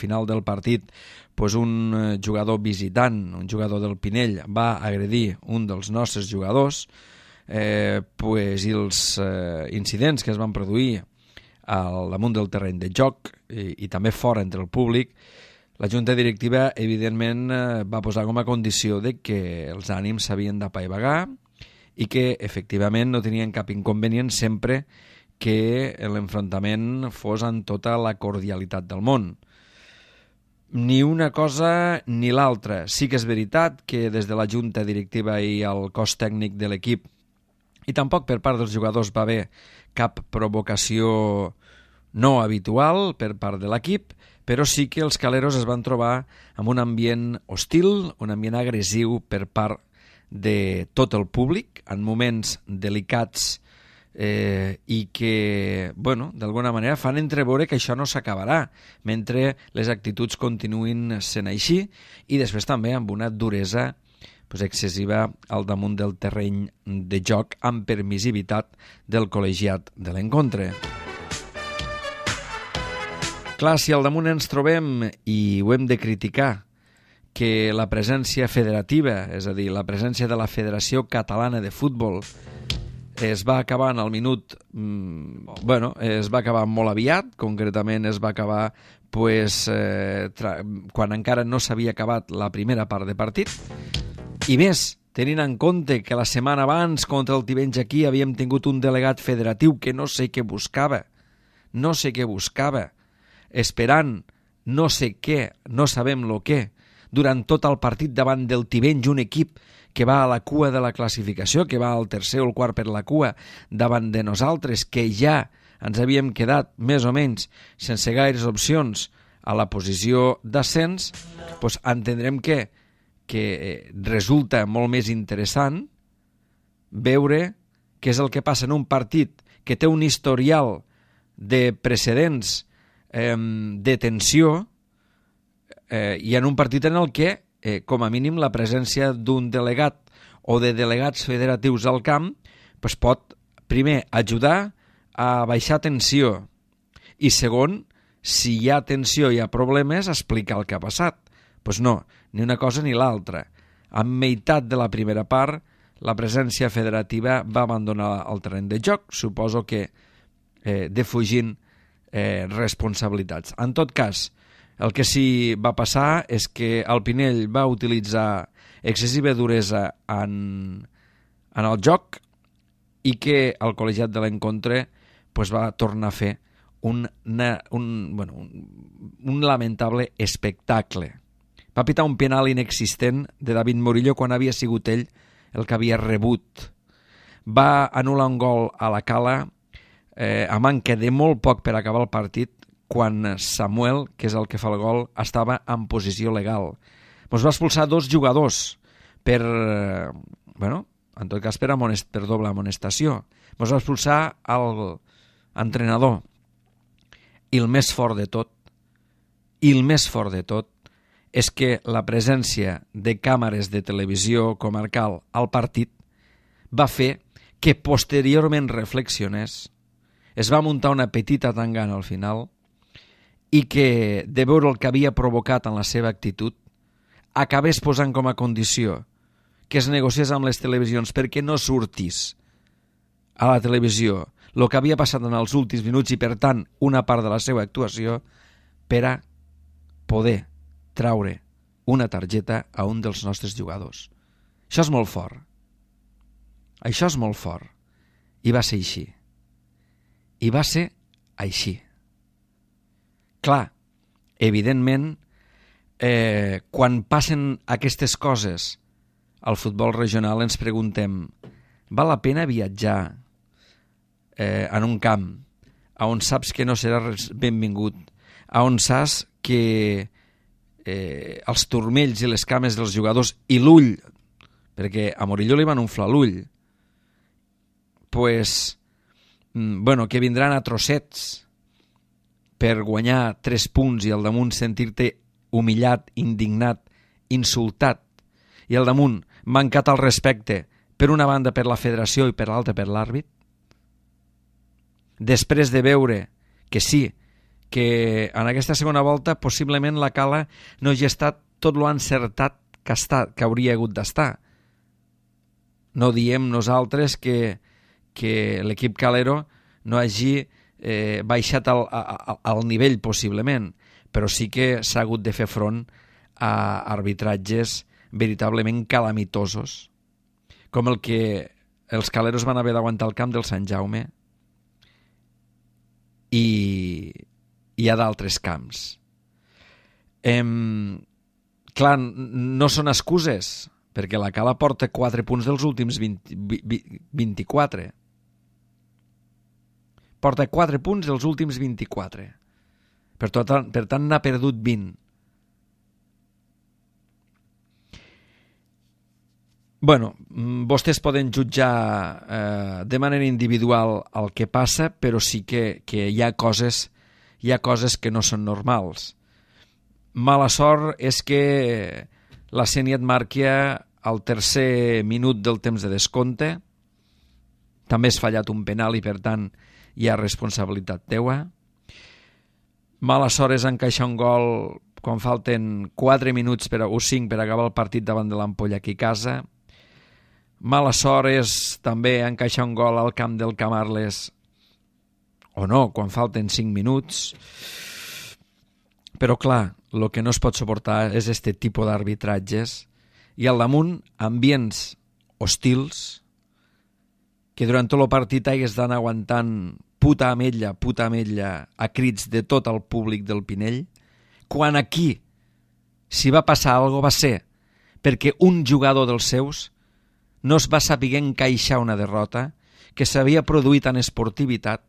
final del partit un jugador visitant, un jugador del Pinell, va agredir un dels nostres jugadors, i els incidents que es van produir al damunt del terreny de joc i també fora entre el públic, la Junta Directiva evidentment va posar com a condició de que els ànims s'havien d'apaivagar i que efectivament no tenien cap inconvenient sempre que l'enfrontament fos amb tota la cordialitat del món. Ni una cosa ni l'altra. Sí que és veritat que des de la Junta Directiva i el cos tècnic de l'equip i tampoc per part dels jugadors va haver cap provocació no habitual per part de l'equip, però sí que els caleros es van trobar amb un ambient hostil, un ambient agressiu per part de tot el públic en moments delicats i que, d'alguna manera fan entreveure que això no s'acabarà mentre les actituds continuïn sent així i després també amb una duresa excessiva al damunt del terreny de joc amb permissivitat del col·legiat de l'encontre. Clar, si al damunt ens trobem i ho hem de criticar que la presència federativa, és a dir, la presència de la Federació Catalana de Futbol es va acabar en el minut, es va acabar molt aviat, concretament es va acabar quan encara no s'havia acabat la primera part de partit, i més, tenint en compte que la setmana abans contra el Tivenys aquí havíem tingut un delegat federatiu que no sé què buscava, esperant no sé què, no sabem lo què, durant tot el partit davant del Tivenys, un equip que va a la cua de la classificació, que va al tercer o el quart per la cua davant de nosaltres, que ja ens havíem quedat més o menys sense gaires opcions a la posició d'ascens, entendrem que resulta molt més interessant veure què és el que passa en un partit que té un historial de precedents de tensió i en un partit en el que com a mínim la presència d'un delegat o de delegats federatius al camp pot primer ajudar a baixar tensió i segon, si hi ha tensió i hi ha problemes, explicar el que ha passat. No, ni una cosa ni l'altra. A meitat de la primera part la presència federativa va abandonar el terreny de joc, suposo que defugint responsabilitats. En tot cas, el que sí va passar és que el Pinell va utilitzar excessiva duresa en el joc i que el col·legiat de l'encontre va tornar a fer un lamentable espectacle. Va pitar un penal inexistent de David Murillo quan havia sigut ell el que havia rebut. Va anul·lar un gol a la Cala a manca de molt poc per acabar el partit quan Samuel, que és el que fa el gol, estava en posició legal. Ens va expulsar 2 jugadors per, en tot cas per doble amonestació. Ens va expulsar l'entrenador. I el més fort de tot, és que la presència de càmeres de televisió comarcal al partit va fer que posteriorment reflexionés, es va muntar una petita tangana al final i que, de veure el que havia provocat en la seva actitud, acabés posant com a condició que es negociés amb les televisions perquè no sortís a la televisió el que havia passat en els últims minuts i, per tant, una part de la seva actuació per a poder traure una targeta a un dels nostres jugadors. Això és molt fort. Això és molt fort. I va ser així. Clar, evidentment, quan passen aquestes coses al futbol regional ens preguntem, val la pena viatjar en un camp on saps que no serà benvingut, on saps que els turmells i les cames dels jugadors i l'ull, perquè a Murillo li van inflar l'ull, que vindran a trossets per guanyar 3 punts i al damunt sentir-te humillat, indignat, insultat i al damunt mancat al respecte per una banda per la federació i per l'altra per l'àrbit, després de veure que sí, que en aquesta segona volta possiblement la Cala no hagi estat tot lo encertat que hauria hagut d'estar. No diem nosaltres que l'equip calero no hagi baixat al nivell possiblement, però sí que s'ha hagut de fer front a arbitratges veritablement calamitosos, com el que els caleros van haver d'aguantar al camp del Sant Jaume i hi ha d'altres camps. Clar, no són excuses, perquè la Cala porta 4 punts dels últims 24. Porta 4 punts dels últims 24. Per tant, n'ha perdut 20. Bueno, vostès poden jutjar de manera individual el que passa, però sí que hi ha coses que no són normals. Mala sort és que la Sénia et marqui al tercer minut del temps de descompte. També has fallat un penal i, per tant, hi ha responsabilitat teua. Mala sort és encaixar un gol quan falten 4 minuts o 5 per acabar el partit davant de l'Ampolla aquí a casa. Mala sort és també encaixar un gol al camp del Camarles o no, quan falten 5 minuts. Però clar, el que no es pot suportar és aquest tipus d'arbitratges i al damunt ambients hostils que durant tot el partit hagués d'anar aguantant puta ametlla a crits de tot el públic del Pinell, quan aquí, si va passar alguna cosa, va ser perquè un jugador dels seus no es va saber encaixar una derrota que s'havia produït en esportivitat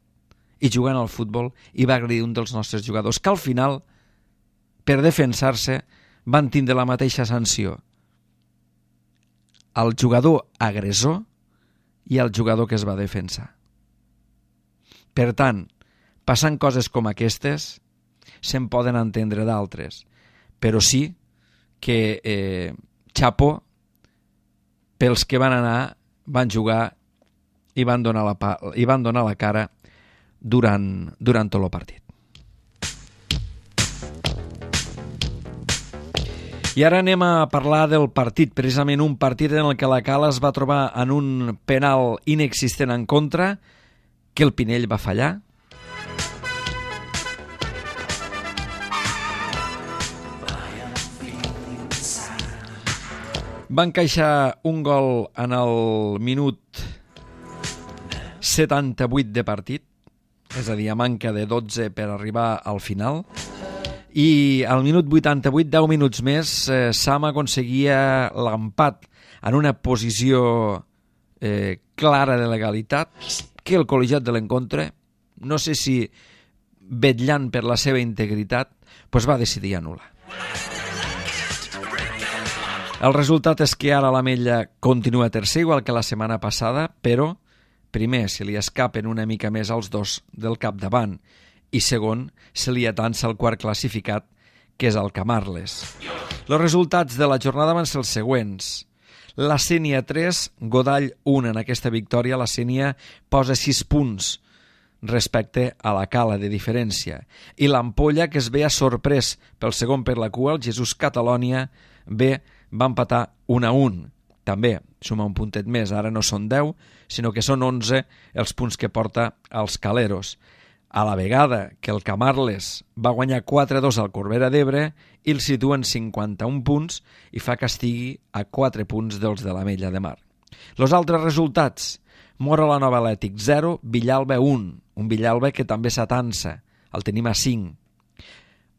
i jugant al futbol i va agredir un dels nostres jugadors, que al final, per defensar-se, van tindre la mateixa sanció. El jugador agressor i el jugador que es va defensar. Per tant, passant coses com aquestes, se'n poden entendre d'altres, però sí que xapó pels que van anar, van jugar i van donar la cara durant tot el partit. I ara anem a parlar del partit, precisament un partit en el que la Cala es va trobar en un penal inexistent en contra, que el Pinell va fallar. Va encaixar un gol en el minut 78 de partit, és a dir, a manca de 12 per arribar al final, i al minut 88, 10 minuts més, Sam aconseguia l'empat en una posició clara de legalitat que el col·legiat de l'encontre, no sé si vetllant per la seva integritat, doncs va decidir anul·lar. El resultat és que ara l'Ametlla continua tercer, igual que la setmana passada, però primer se li escapen una mica més els dos del capdavant i segon se li atansa el quart classificat, que és el Camarles. Els resultats de la jornada van ser els següents. La Sénia 3, Godall 1 en aquesta victòria. La Sénia posa 6 punts respecte a la Cala de diferència. I l'Ampolla, que es veia sorprès pel segon per la cua, el Jesús Catalònia B, va empatar 1-1. També suma un puntet més, ara no són 10, sinó que són 11 els punts que porta els caleros. A la vegada que el Camarles va guanyar 4-2 al Corbera d'Ebre i el situa en 51 punts i fa que estigui a 4 punts dels de l'Ametlla de Mar. Els altres resultats: Móra la Nova Atlètic 0, Villalba 1, un Villalba que també s'atansa, el tenim a 5.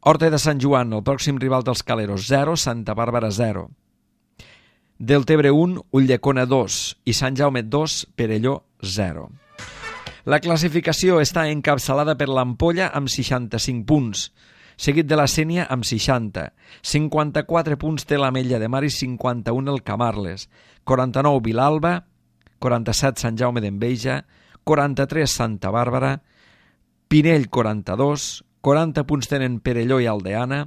Horta de Sant Joan, el pròxim rival dels caleros, 0, Santa Bàrbara 0. Deltebre 1, Ulldecona 2 i Sant Jaume 2, Perelló 0. La classificació està encapçalada per l'Ampolla amb 65 punts, seguit de la Sénia amb 60. 54 punts té l'Ametlla de Mar i 51 el Camarles. 49 Vilalba, 47 Sant Jaume d'Enveja, 43 Santa Bàrbara, Pinell 42, 40 punts tenen Perelló i Aldeana,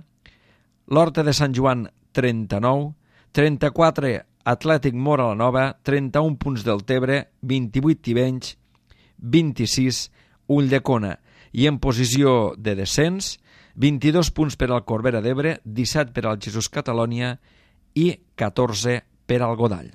l'Horta de Sant Joan 39, 34 Atlètic Móra la Nova, 31 punts del Tebre, 28 Tivenys, 26 Ulldecona. I en posició de descens, 22 punts per al Corbera d'Ebre, 17 per al Jesús Catalònia i 14 per al Godall.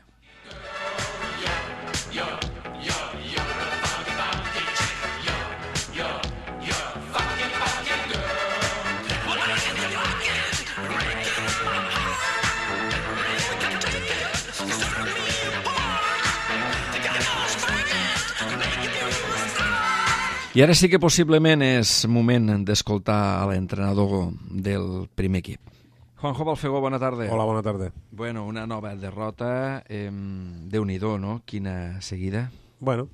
I ara sí que possiblement és moment d'escoltar a l'entrenador del primer equip. Juanjo Balfegó, bona tarda. Hola, bona tarda. Bueno, una nova derrota, Déu-n'hi-do, no? Quina seguida. Bueno,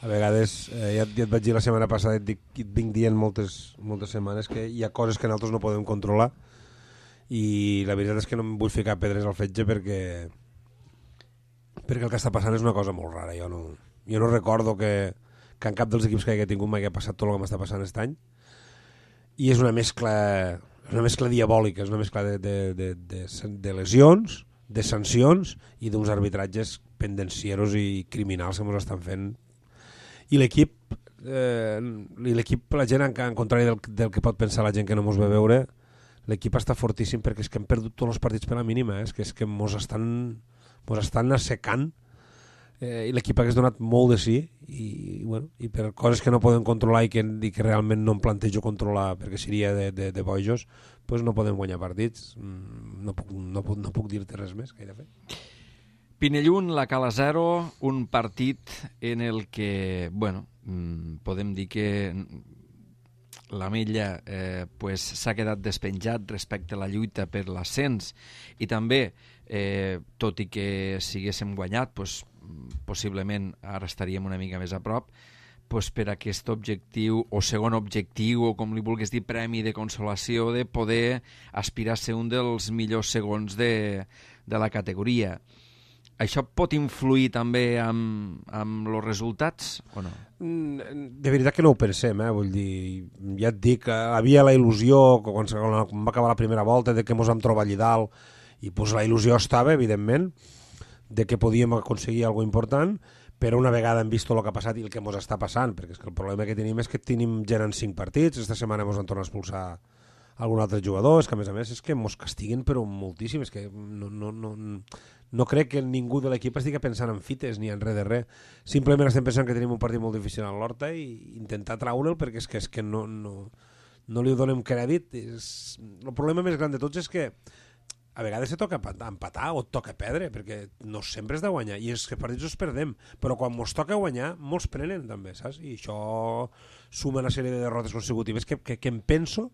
a vegades, ja et vaig dir la setmana passada, et vinc dient moltes setmanes que hi ha coses que nosaltres no podem controlar i la veritat és que no em vull ficar pedres al fetge perquè el que està passant és una cosa molt rara. Jo no recordo que en cap dels equips que hagi tingut m'hagi passat tot el que m'està passant aquest any, i és una mescla diabòlica, és una mescla de lesions, de sancions i d'uns arbitratges pendencieros i criminals que ens estan fent. I l'equip, la gent, en contrari del que pot pensar la gent que no ens ve veure, l'equip està fortíssim perquè és que hem perdut tots els partits per la mínima, és que ens estan assecant. I l'equip hagués donat molt de sí i per coses que no podem controlar i que realment no em plantejo controlar perquè seria de bojos, doncs no podem guanyar partits. No puc dir-te res més que he de fer. Pinellún, la Cala 0, un partit en el que, bueno, podem dir que l'Ametlla s'ha quedat despenjat respecte a la lluita per l'ascens i també, tot i que si haguéssim guanyat, possiblement ara estaríem una mica més a prop, per aquest objectiu o segon objectiu o com li vulguis dir, premi de consolació de poder aspirar a ser un dels millors segons de la categoria. Això pot influir també amb els resultats o no? De veritat que no ho pensem, vull dir, ja et dic, havia la il·lusió quan va acabar la primera volta de que ens vam trobar allà dalt i la il·lusió estava, evidentment, de que podíem aconseguir alguna cosa important, però una vegada hem vist tot el que ha passat i el que ens està passant, perquè és que el problema que tenim és que tenim gent en 5 partits, esta setmana ens han tornat a expulsar algun altre jugador, és que a més és que ens castiguen però moltíssim, és que no crec que ningú de l'equip estigui pensant en fites ni en res de res, simplement estem pensant que tenim un partit molt difícil a l'Horta i intentar traure'l perquè és que no li donem crèdit. El problema més gran de tots és que a vegades se toca empatar o et toca perdre, perquè no sempre és de guanyar, i és que els partits els perdem, però quan ens toca guanyar, molts prenen també, saps? I això suma una sèrie de derrotes consecutives que em penso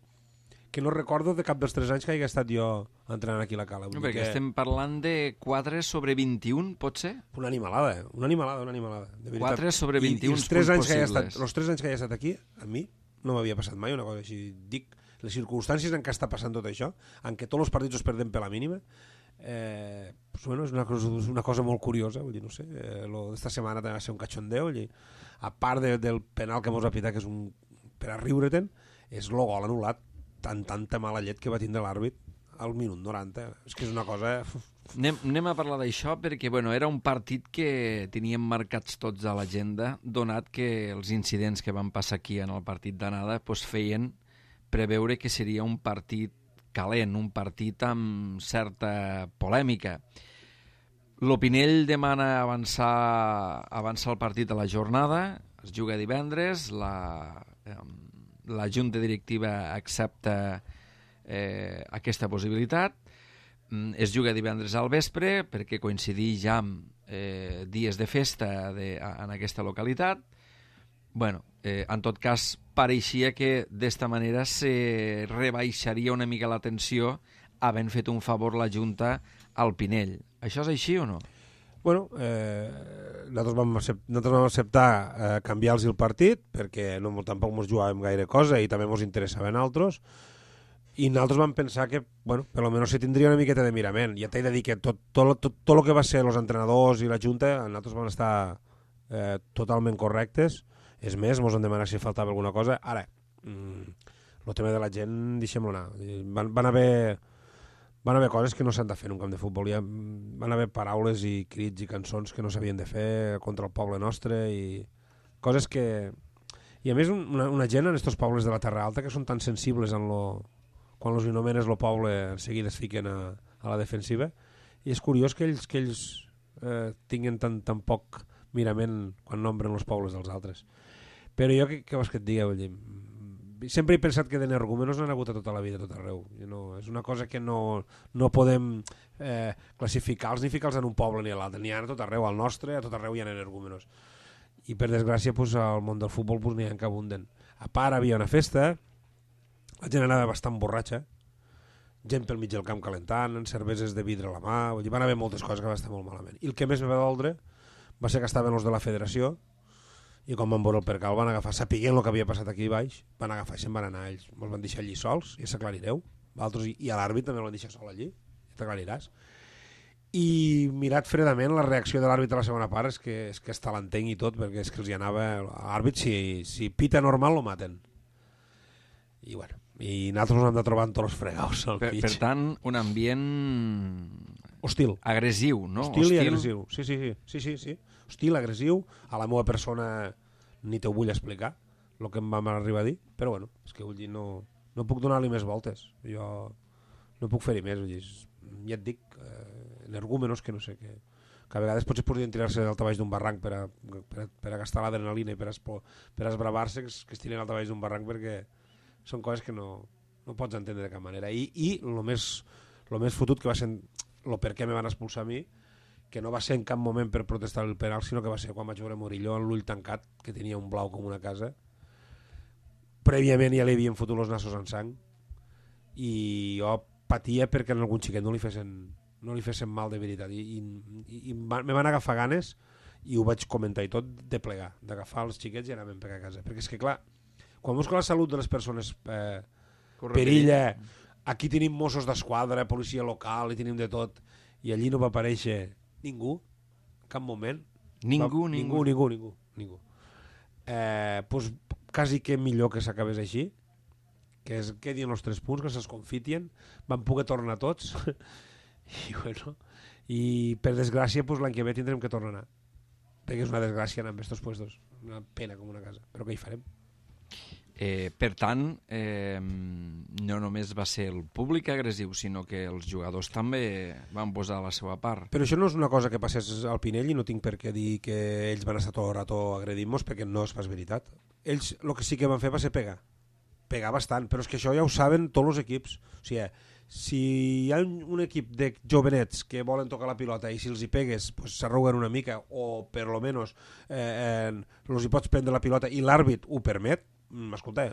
que no recordo de cap dels 3 anys que hagi estat jo entrenant aquí a la Cala. No, perquè estem parlant de 4/21, pot ser? Una animalada, de veritat. 4/21 punts possibles. Els 3 anys que he estat aquí, a mi no m'havia passat mai una cosa així. Dic, les circumstàncies en què està passant tot això, en què tots els partits els perdem per la mínima, és una cosa molt curiosa. Vull dir, no sé, esta setmana va ser un cachondeo, a part del penal que ens va pitar, que és per a riure-te'n, és el gol anul·lat, tanta mala llet que va tindre l'àrbit al minut 90. És que és una cosa... Anem a parlar d'això perquè era un partit que teníem marcats tots a l'agenda, donat que els incidents que van passar aquí en el partit d'anada feien preveure que seria un partit calent, un partit amb certa polèmica. L'Opinell demana avançar el partit a la jornada, es juga divendres, la Junta Directiva accepta aquesta possibilitat, es juga divendres al vespre perquè coincideix ja amb dies de festa en aquesta localitat. En tot cas, pareixia que d'esta manera se rebaixaria una mica la tensió havent fet un favor la Junta al Pinell. Això és així o no? Nosaltres vam acceptar canviar-los el partit perquè tampoc ens jugàvem gaire cosa i també ens interessava a nosaltres, i nosaltres vam pensar que per almenys se tindria una miqueta de mirament. Ja t'he de dir que tot el que va ser els entrenadors i la Junta, nosaltres van estar totalment correctes. És més, ens han demanat si faltava alguna cosa. Ara, el tema de la gent, deixem-lo anar. Van haver coses que no s'han de fer en un camp de futbol. Van haver paraules i crits i cançons que no s'havien de fer contra el poble nostre i coses que... I a més una gent en estos pobles de la Terra Alta que són tan sensibles quan els anomenes el poble en seguida es fiquen a la defensiva, i és curiós que ells tinguen tan poc mirament quan nombren els pobles dels altres. Però jo què vols que et digui? Vull dir, sempre he pensat que d'energúmenos n'han hagut a tota la vida, a tot arreu. És una cosa que no podem classificar-los ni ficar-los en un poble ni a l'altre. N'hi ha a tot arreu, al nostre, a tot arreu hi ha energúmenos. I per desgràcia al món del futbol n'hi ha que abunden. A part havia una festa, la gent anava bastant borratxa, gent pel mig del camp calentant, cerveses de vidre a la mà, vull dir, van haver moltes coses que van estar molt malament. I el que més me va doldre va ser que estaven els de la federació, i quan van veure el percal van agafar, sapiguent el que havia passat aquí baix, van agafar i se'n van anar ells, ens van deixar allí sols, ja s'aclarireu, i a l'àrbit també el van deixar sol allí, ja t'aclariràs. I mirat fredament la reacció de l'àrbit a la segona part és que està l'entenc i tot, perquè és que els hi anava l'àrbit, si pita normal lo maten. I bueno, i nosaltres ens hem de trobar en tots els fregaus al mig. Per tant, un ambient hostil, agressiu, no? Hostil i agressiu, sí. Hostil, agressiu, a la meva persona ni t'ho vull explicar el que em vam arribar a dir, però bueno, és que vull dir, no puc donar-li més voltes, jo no puc fer-hi més, vull dir, ja et dic, energúmenos que no sé, que a vegades potser podrien tirar-se d'alta baix d'un barranc per a gastar l'adrenalina i per a esbravar-se, que es tiren alta baix d'un barranc, perquè són coses que no pots entendre de cap manera. I el més fotut que va ser el per què me van expulsar a mi, que no va ser en cap moment per protestar el penal, sinó que va ser quan vaig veure Murillo amb l'ull tancat, que tenia un blau com una casa. Prèviament ja li havien fotut els nassos en sang i jo patia perquè en algun xiquet no li fessin mal de veritat, i me van agafar ganes, i ho vaig comentar i tot, de plegar, d'agafar els xiquets i anar ben per a casa, perquè és que clar, quan busco la salut de les persones perilla, aquí tenim Mossos d'Esquadra, policia local, i tenim de tot, i allí no va aparèixer ningú, en cap moment. Ningú. Pues quasi que millor que s'acabés així, que quedin els 3 punts, que se'ls confitien, van poder tornar tots, i per desgràcia l'any que ve tindrem que tornar a anar, perquè és una desgràcia anar amb aquests puestos, una pena com una casa, però què hi farem? Per tant, no només va ser el públic agressiu, sinó que els jugadors també van posar la seva part. Però això no és una cosa que passés al Pinell, i no tinc per què dir que ells van estar tot el rato agredint-nos, perquè no és pas veritat. Ells el que sí que van fer va ser pegar bastant, però és que això ja ho saben tots els equips. O sigui, si hi ha un equip de jovenets que volen tocar la pilota i si els hi pegues s'arruguen una mica, o per lo menos els hi pots prendre la pilota i l'àrbit ho permet, escolta,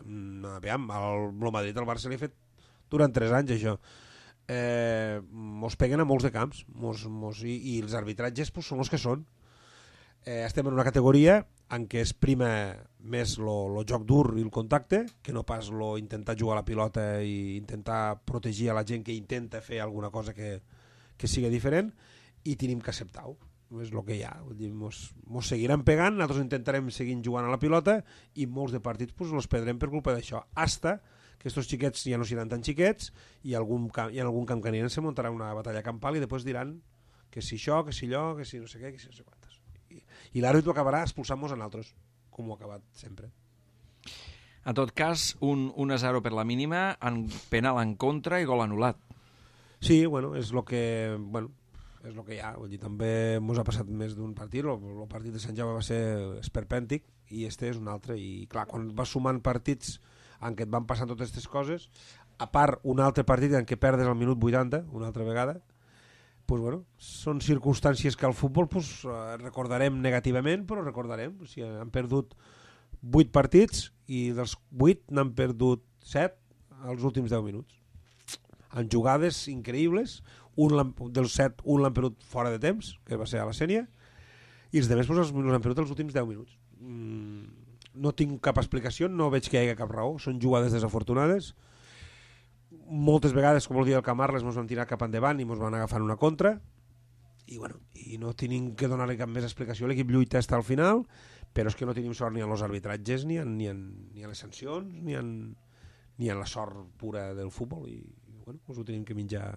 aviam, el Madrid al Barça li ha fet durant 3 anys això, mos peguen a molts de camps, i els arbitratges són els que són. Estem en una categoria en què es prima més el joc dur i el contacte, que no pas intentar jugar a la pilota i intentar protegir a la gent que intenta fer alguna cosa que sigui diferent, i tenim que acceptar-ho. És el que hi ha, mos seguiran pegant, nosaltres intentarem seguir jugant a la pilota, i molts de partits els perdrem per culpa d'això, hasta que aquests xiquets ja no seran tan xiquets, i en algun camp que aniran se muntarà una batalla campal, i després diran que si això, que si allò, que si no sé què, que si no sé quantes, i l'àrbit ho acabarà expulsant-nos a nosaltres, com ho ha acabat sempre. En tot cas, un 1-0 per la mínima, penal en contra i gol anul·lat. Sí, bueno, és el que hi ha. Vull dir, també ens ha passat més d'un partit. El partit de Sant Jaume va ser esperpèntic, i este és un altre. I clar, quan vas sumant partits en què et van passant totes aquestes coses, a part un altre partit en què perdes al minut 80, una altra vegada, pues bueno, són circumstàncies que al futbol recordarem negativament, però recordarem. O sigui, han perdut 8 partits i dels 8 n'han perdut 7 als últims 10 minuts. En jugades increïbles, dels 7, un l'han perdut fora de temps, que va ser a la Sènia, i els altres els han perdut els últims 10 minuts. No tinc cap explicació, no veig que hi hagi cap raó, són jugades desafortunades. Moltes vegades, com el dia del Camarles, ens vam tirar cap endavant i ens van agafar una contra, i bueno, i no tenim que donar-li cap més explicació. L'equip lluita fins al final, però és que no tenim sort ni en els arbitratges, ni en les sancions, ni en la sort pura del futbol, i bueno, us ho tenim que menjar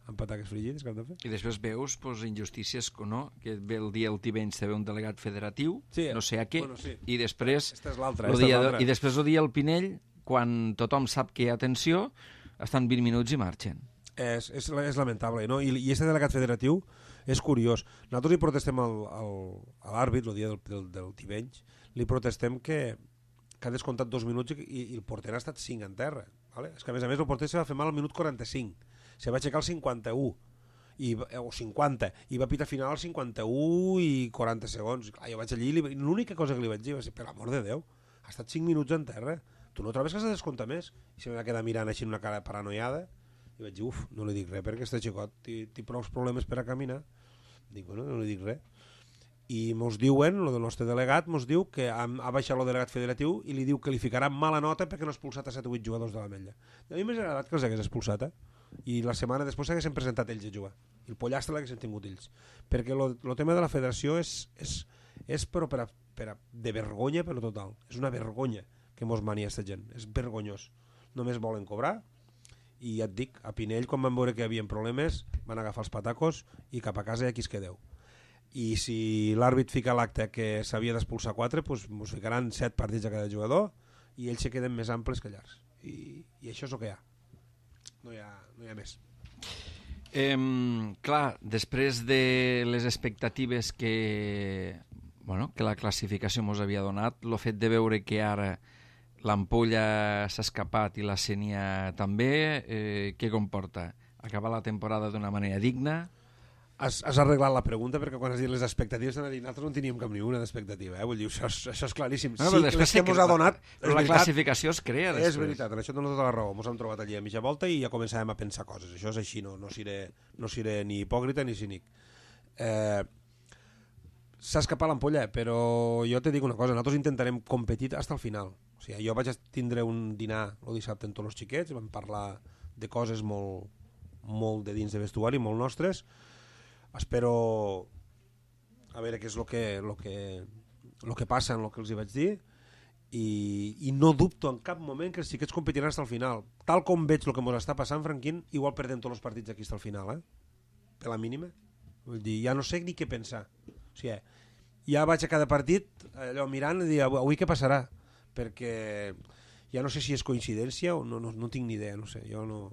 amb pataques fregides que hem de fer. I després veus injustícies, no? Que ve el dia el Tivenys té un delegat federatiu, sí, no sé a què, bueno, sí. i després Esta és l'altra. I després el dia el Pinell, quan tothom sap que hi ha tensió, estan 20 minuts i marxen. És lamentable, no? I aquest delegat federatiu és curiós. Nosaltres hi protestem a l'àrbit, el dia del Tivenys, li protestem que ha descomptat 2 minuts i el porter ha estat 5 en terra. Vale? És que a més el porter se va fer mal al minut 45. Se va aixecar al 51 o 50 i va pitar final al 51 i 40 segons. Clar, jo vaig allí i l'única cosa que li vaig dir va ser, per l'amor de Déu, ha estat 5 minuts en terra, tu no trobes que has de descomptar més? I se va quedar mirant així amb una cara paranoiada i vaig dir, no li dic res perquè este xicot té prou problemes per a caminar. Dic, bueno, no li dic res. I mos diuen, el nostre delegat mos diu que ha baixat el delegat federatiu i li diu que li ficarà mala nota perquè no ha expulsat a 7 o 8 jugadors de l'Ametlla. A mi m'ha agradat que els hagués expulsat, i la setmana després s'haguessin presentat ells a jugar i el pollastre l'haguessin tingut ells, perquè el tema de la federació és però de vergonya per total, és una vergonya que mos mania aquesta gent, és vergonyós, només volen cobrar. I ja et dic, a Pinell quan van veure que hi havia problemes van agafar els patacos i cap a casa hi ha qui es quedeu. I si l'àrbit fica a l'acte que s'havia d'expulsar 4, doncs ens ficaran 7 partits a cada jugador i ells se queden més amples que llargs. I això és el que hi ha. No hi ha més. Clar, després de les expectatives que la classificació ens havia donat, el fet de veure que ara l'Ampolla s'ha escapat i la Sénia també, què comporta? Acabar la temporada d'una manera digna? Has arreglat la pregunta perquè quan has dit les expectatives nosaltres no teníem cap ni una d'expectativa, vull dir, això és claríssim. No, sí, que les que ens ha donat... Però la classificació es crea després. És veritat, en això dono tota la raó. Ens hem trobat allí a mitja volta i ja començàvem a pensar coses. Això és així, no seré ni hipòcrita ni cínic. S'ha escapat l'Ampolla, però jo te dic una cosa, nosaltres intentarem competir fins al final. O sigui, jo vaig tindre un dinar el dissabte amb tots els xiquets, vam parlar de coses molt de dins de vestuari, molt nostres. Espero a veure què és el que passa en el que els hi vaig dir i no dubto en cap moment que els xiquets competiran fins al final. Tal com veig el que ens està passant, Franquín, igual perdem tots els partits aquí fins al final, per la mínima. Vull dir, ja no sé ni què pensar. O sigui, ja vaig a cada partit allò mirant i dir, avui què passarà? Perquè ja no sé si és coincidència o no tinc ni idea, no sé, jo no...